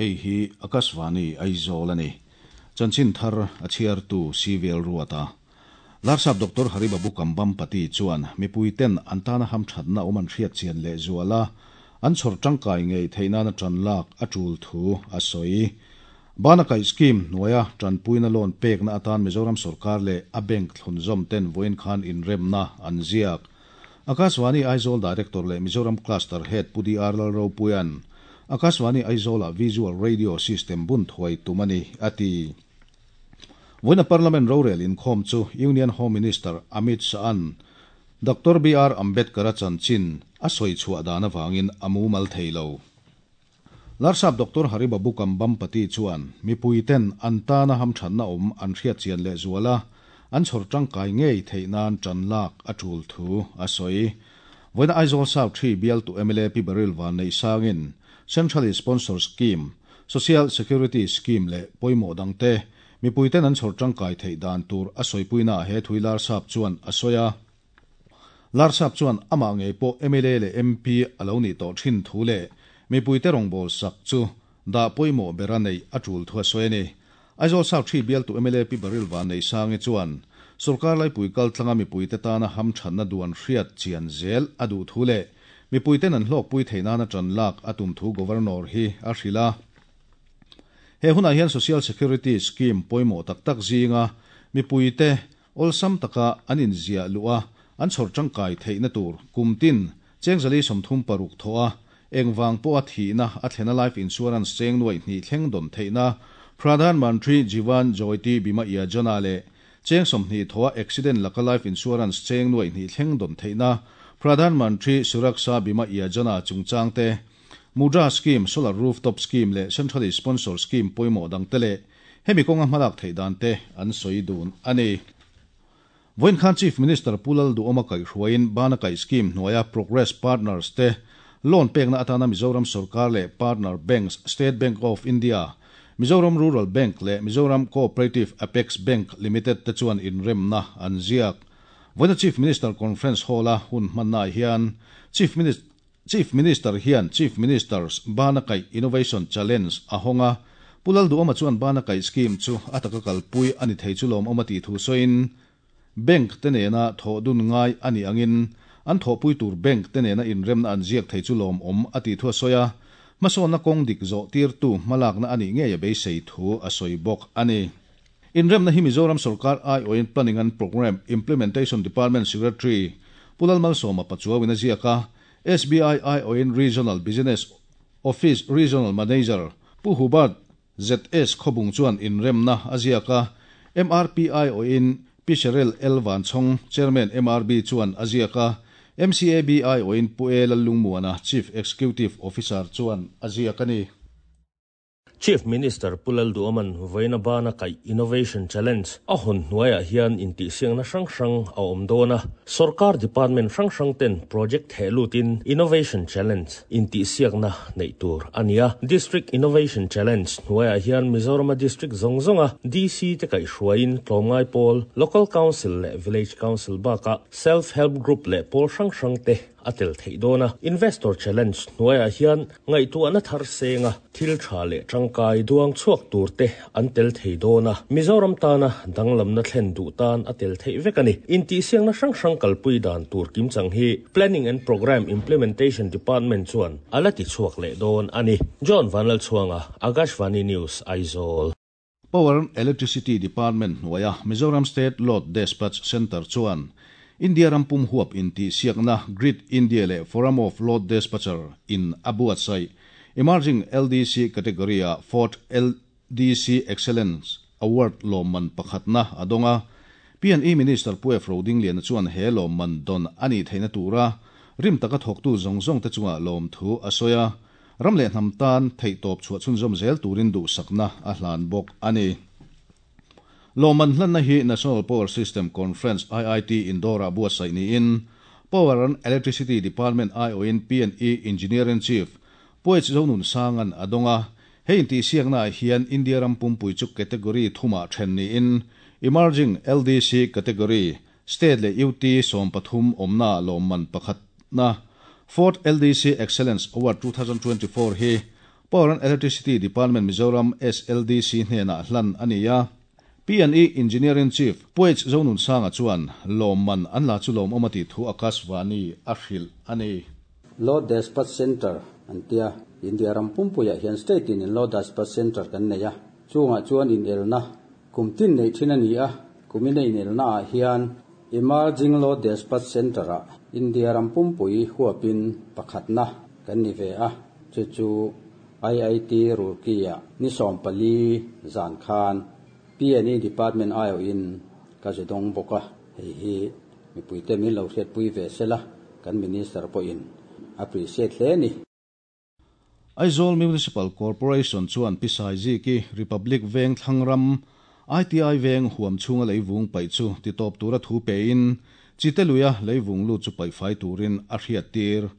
Hei hi Akashvani Aizawl a ni. Chanchin thar a chhiartu CVL Ruata. Larsap Doctor Haribabu Kambhampati chuan mipuiten an tana hamthatna awm an hriat chian lehzual a, an chhawr tangkai ngei theih nana tan lak a tul thu a sawi. Bana kaih scheme hnuaia tanpuina loan pekna atan Mizoram sorkar leh a bank thlunzawm ten vawiin khan inremna an ziak. Akashvani Aizawl Director leh Mizoram Cluster Head Pu DR Lalropuia'n Akashvani Aizawlah Visual Radio System bun thuai tum a ni, a ti. Vawiina Parliament rorel inkhawm chu Union Home Minister Amit Shah-a'n Doctor BR Ambedkar-a chanchin a sawi chhuah dan avangin a mumal thei lo. Larsap Doctor Haribabu Kambhampati chuan mipuiten an tana hamthatna awm an hriatchian lehzual a, an chhawr tangkai ngei theih nan tan lak a tul thu a sawi. Vawiina Aizawl South Ṭhi bialtu mla Pi Baryl Vanneihsangin Central Sponsor Scheme, Social Security Scheme leh pawimawh dangte mipuiten an chhawr tangkai theih dan tur a sawipuinaah he thui Larsap chuan a sawi a. Larsap chuan amah ngei pawh mla leh MP a lo nih tawh thin thu leh mipuite rawngbâwl sak chu dah pawimawh bera neih a tul thu a sawi a ni. Aizawl South Ṭhi bialtu mla Pi Baryl Vanneihsangi chuan sorkar laipui kaltlanga mipuite tana hamthatna duan hriat chian zel a duh thu leh Mipuiten an hlawkpui theih nana ṭan lak a tum thu Governor hi a hrilh a. He hunah hian Social Security Scheme pawimawh tak tak zinga mipuite awlsam taka an inziah luh a, an chhawr ṭangkai theihna tur kum tin cheng 136 thawh a, engvang pawha thihna a thlena Life Insurance cheng nuaih hnih thleng dawn theihna Pradhan Mantri Jeevan Jyoti Bima Yojana leh Cheng 20 thawha accident laka life insurance cheng nuaih hnih thleng dawn theihna Pradhan Mantri Suraksha Bima Yojana chungchang te, Mudra Scheme, Solar Rooftop Scheme leh Centrally Sponsored Scheme pawimawh dang te leh hemi kawnga hmalak theih dan te an sawi dun a ni. Vawiin khan Chief Minister Pu Lalduhawma kaihhruaiin Bana Kaih Scheme hnuaia Progress Partners te loan pekna atana Mizoram sawrkar leh partner banks State Bank of India, Mizoram Rural Bank leh Mizoram Cooperative Apex Bank Limited te chuan inremna an ziak. Vawiina Chief Minister Conference Hall-a hun hmannaah hian Chief Chief Minister hian Chief Minister's Bana Kaih Innovation Challenge a hawng a, Pu Lalduhawma chuan Bana Kaih Scheme chu a taka kalpui a ni thei chu lawmawm a tih thu sawiin, Bank te nena thawh dun ngai a nih angin an thawhpui tur bank te nena inremna an ziak thei chu lawmawm a tih thu a sawi a, hmasawnna kawng dik zawh tirtu hmalakna a nih ngei a beisei thu a sawi bawk a ni. Inremna hi Mizoram sorkar aiawhin Planning and Programme Implementation Department Secretary Pu Lalmalsawma Pachuauin a ziak a, SBI aiawhin Regional Business Office Regional Manager Pu Hubert ZS Khawbung chuan inremna a ziak a, MRPI awhin Pi Cheryl L Vanchhawng, Chairman MRB chuan a ziak a, MCABI awhin Pu E Lallungmuana, Chief Executive Officer chuan a ziak a ni. Chief Minister Pu Lalduhawman vawiina bana kaih Innovation Challenge a hawn hnuaiah hian intihsiakna hrang hrang a awm dawn a, sawrkar department hrang hrang ten project theh lutin Innovation Challenge Intihsiakna neih tur a ni a. District Innovation Challenge hnuaiah hian Mizorama District zawng zawnga DC te kaihhruaiin tlawmngai pawl, Local Council leh Village Council bakah Self Help Group leh pawl hrang hrang te a tel theih dawn a. Investor Challenge hnuaiah hian ngaihtuahna thar senga thil tha leh tangkai duang chhuak tur te an tel thei dawn a, Mizoram tana danglamna thlen duh tan a tel theih vek a ni. Intihsiakna hrang hrang kalpui dan tur kimchang hi Planning and Programme Implementation Department chuan a la ti chhuak leh dawn a ni. John Vanlalchhuanga, Akashvani News, Aizawl. Power and Electricity Department hnuaia Mizoram State Load Despatch Centre chuan India ram pum huap intihsiakna Grid India leh Forum of Load Despatcher in a buatsaih Emerging LDC category-ah Fourth LDC Excellence Award lawmman pakhatna a dawng a. P&E Minister Pu F. Rodingliana chuan he lawmman dawn a nih theihna tura rim taka thawktu zawng zawngte chungah lawmthu a sawi a, ram leh hnam tan theihtawp chhuah chhunzawm zel turin duhsakna a hlan bawk a ni. Lawmman hlanna hi National Power System Conference IIT Indore-ah buatsaih niin Power and Electricity Department aiawhin P&E Engineer-in-Chief Pu H. Zonunsanga'n a dawng a. Hei intihsiaknaah hian India ram pumpui chu category thumah then niin Emerging LDC category, State leh UT 13 awmna lawmman pakhatna Fourth LDC Excellence Award 2024 hi Power and Electricity Department Mizoram SLDC hnenah hlan a ni a. P&E Engineering Chief Pu H Zonunsanga chuan lawmman an la chu lawmawm a tih thu Akashvani a hrilh a ni. Load Dispatch Centre an tia, India ram pumpuiah hian state in in Load Dispatch Centre kan nei a, chungah chuan inelna kum tin neih thin a ni a, kumin a inelna ah hian Emerging Load Dispatch Centre ah India ram pumpui huapin pakhatna kan ni ve a, chu chu IIT Roorkee ah ni 14 zan khan P&E Department aiawhin ka zu dawng bawk a, hei hi mipuite min lo hriatpui ve sela kan Minister pawhin a appreciate hle a ni. Aizawl Municipal Corporation chuan Pi Saiziki Republic Veng thlang ram ITI Veng huam chhunga leivung paih chu titawp tura thu pein Chite luia leivung lut chu paih fai turin a hriattir.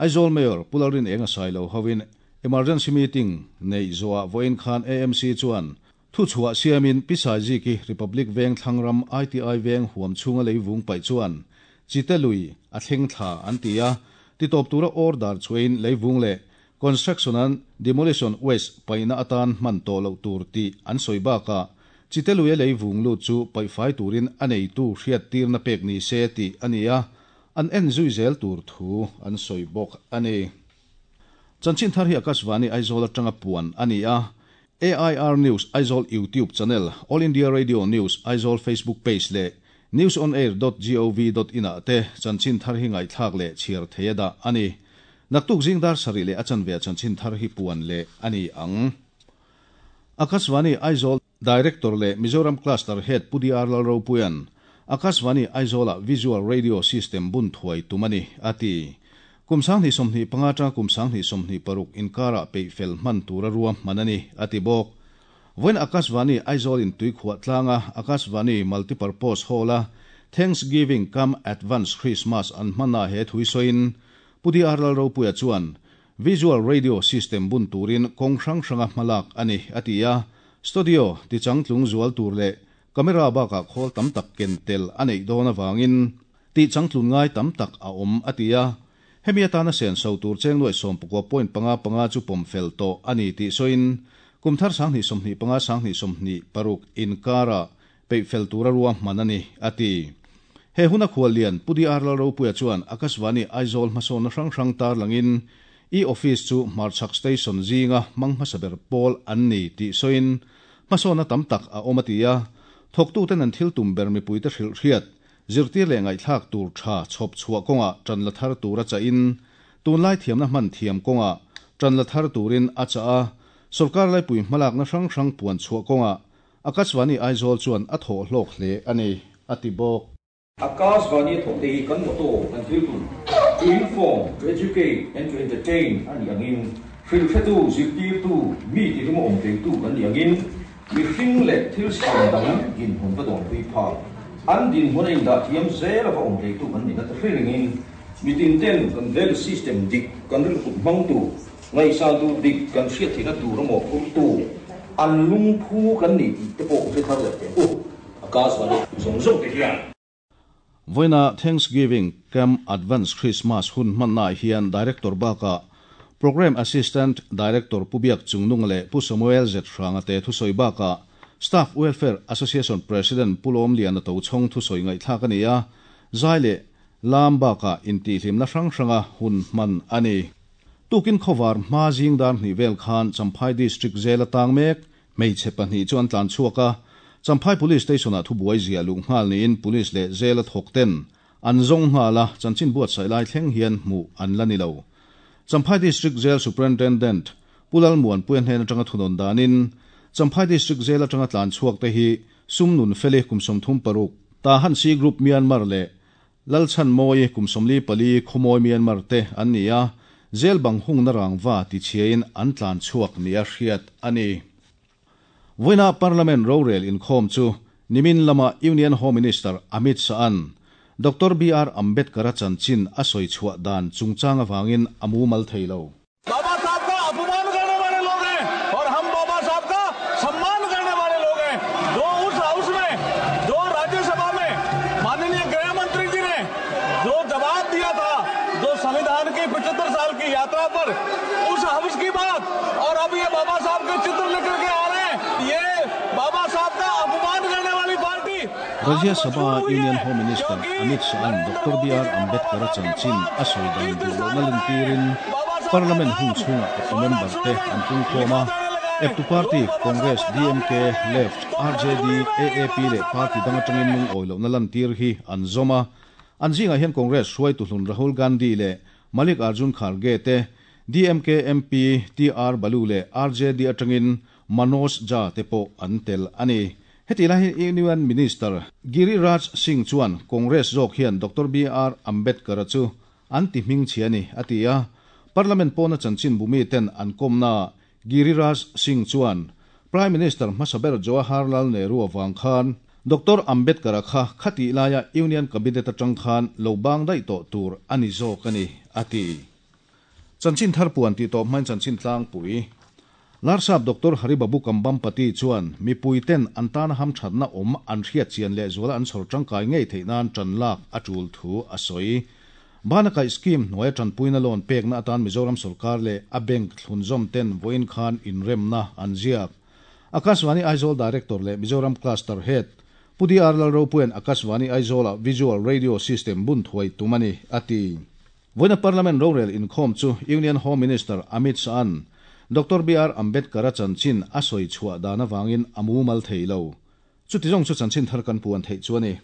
Aizawl Mayor Pu Lalrin Enga Sailo hovin Emergency Meeting neih zawhah vawiin khan AMC chuan Thuchhuah siamin Pi Saiziki Republic Veng thlang ram ITI Veng huam chhunga leivung paih chuan Chite lui a thleng thla an ti a, titawp tura order chhuahin leivung leh construction and demolition waste paihna atan hman tawh loh tur tih an sawi bakah Chite luia leivung lut chu paihfai turin a neitu hriattirna pek ni se tih a ni a, an en zui zel tur thu an sawi bawk a ni. Chanchin thar hi Akashvani Aizawl atanga puan a ni a, AIR News Aizawl YouTube channel, All India Radio News Aizawl Facebook page leh newsonair.gov.in ah te chanchin thar hi ngaihthlak leh chhiar thei a dah a ni. Naktuk zing dar sarih leh a chanve ah chanchin thar hi puan leh a ni ang. Akashvani Aizawl Director leh Mizoram Cluster Head Pu DR Lalropuia'n Akashvani Aizawlah Visual Radio System bun thuai tum a ni, a ti. Kum 2025 atanga kum 2026 inkarah peih fel hman tura ruahman a ni, a ti bawk. Vawiin Akashvani Aizawl in tuikhuah tlanga Akashvani Multipurpose Hall-a Thanksgiving cum Advance Christmas an hmannaah he thui sawiin Pu DR Lalropuia chuan Visual Radio System bun turin kawng hrang hranga hmalak a ni, a ti a. Studio tichangtlung zual tur leh camera bakah khawl tam tak ken tel a neih dawn avangin tihchangtlun ngai tam tak a awm, a ti a. Hemi atana senso tur cheng nuaih sawmpakua point panga panga chu pawm fel tawh a ni tih sawiin kum thar 2025 2026 inkarah peih fel tura ruahman a ni, a ti. He huna khuallian Pu DR Lalropuia chuan Akashvani Aizawl hmasawnna hrang hrang tarlangin e-office chu hmarchhak station zinga hmang hmasa ber pawl an ni tih sawiin hmasawnna tam tak a awm a ti a, thawktuten an thil tum ber mipuite hrilh hriat, zirtir leh ngaihthlak tur tha chhawp chhuah kawngah tan la thar tur a chahin tunlai thiamna hman thiam kawngah tan la thar turin a chah a, sawrkar laipui hmalakna hrang hrang puan chhuah kawngah Akashvani Aizawl chuan a thawh hlawk hle a ni, a ti bawk. Akashvani a thawk te hi kan motto, kan thil tum, to inform, to educate and to entertain a nih angin, hrilhhretu, zirtirtu, mi tihlum a awm theitu kan nih angin, mihring leh thil siam dang dinhmun va dawnpui phak, an dinhmun a indah thiam zel a va awm theitu kan nihna te hrilhingin, mitin ten kan value system dik kan rilhut hmangtu, Ngaihsan tur dik kan hriat theihna tur a mawhphurtu an lungphu kan ni tih te pawh hre thar leh teh u. Akashvani zawng zawng te hian. Vawiina Thanksgiving Camp Advance Christmas hun hmannaah hian Director bakah Programme Assistant Director Pu Biak Chungnunga leh Pu Samuel Z Hranga te thusawi bakah Staff Welfare Association President Pu Lawmliana Tochhawng thusawi ngaihthlak a ni a, zai leh lam bakah intihhlimna hrang hranga hun hman a ni. Tukin khawvar hma zing dar hnih vel khan Champhai District Jail a tang mek hmeichhe pahnih chu an tlan chhuak a, Champhai Police Station-ah thubuai ziah luh nghal niin Police leh Jail a thawk ten an zawng nghal a, chanchin buatsaih lai thleng hian hmuh an la ni lo. Champhai District Jail Superintendent Pu Lalmuanpuia hnen atanga thunawn danin Champhai District Jail atanga tlan chhuak te hi Sumnun Feli kum 36, Tahan C Group Myanmar leh Lalchhan Mawi kum 44 Khawmawi Myanmar te an ni a, jail bang hungna rangva tichhiain an tlan chhuak nia hriat a ni. Vawiina Parliament rorel inkhawm chu nimin lama Union Home Minister Amit Shah-a'n Doctor BR Ambedkar-a chanchin a sawi chhuah dan chungchang avangin a mumal thei lo. Baba Sahab ka अपमान करने वाले लोग हैं और हम बाबा साहब का सम्मान करने वाले लोग हैं। जो उस हाउस में, जो राज्यसभा में माननीय गृह की 75 साल की यात्रा पर उस हवस की बात और अब ये बाबा साहब के चित्र लेकर के आ रहे हैं। ये बाबा साहब का अपमान करने वाली party. Rajya Sabha Union Home Minister Amit Shah-a'n Doctor BR Ambedkar-a chanchin a sawi dan duh lohna lantirin Parliament hun chhungah eptu member te an pungkhawm a. Eptu party Congress, DMK, Left, RJD, AAP leh party dang atangin lungawi lohna lantir hi an zawm a. An zingah hian Congress hruaitu hlun Rahul Gandhi leh Malik Arjun Kharge te, DMK MP TR Balu leh RJD atangin Manoj Jha te pawh an tel a ni. Hetih lai hian Union Minister Giriraj Singh chuan Congress zawk hian Doctor BR Ambedkar-a chu an ti hmingchhia a ni, a ti a. Parliament pawna chanchin bumi ten an kawmnaah Giriraj Singh chuan Prime Minister hmasa ber Jawaharlal Nehru avang khan Doctor Ambedkar-a kha khatih laia Union Cabinet atang khan lo bang daih tawh tur a ni zawk a ni, a ti. Chanchin thar puan tih tawp hmain chanchin tlangpui. Larsap Doctor Haribabu Kambampati chuan mipui ten an tana hamthatna awm an hriat chian lehzuala an chhawr tangkai ngei theih nan tan lak a tul thu a sawi. Bana kaih scheme hnuaia tanpuina loan pekna atan Mizoram sorkar leh a bank thlunzawm ten vawiin khan inremna an ziak. Akashvani Aizawl Director leh Mizoram Cluster Head Pu DR Lalropuia'n Akashvani Aizawla Visual Radio System bun thuai tum a ni, a ti. Vawiina Parliament rorel inkhawm chu Union Home Minister Amit Shah-a'n Doctor BR Ambedkar-a chanchin a sawi chhuah dan avangin a mumal thei lo. Chuti zawng chu chanchin thar kan puan theih chu a ni.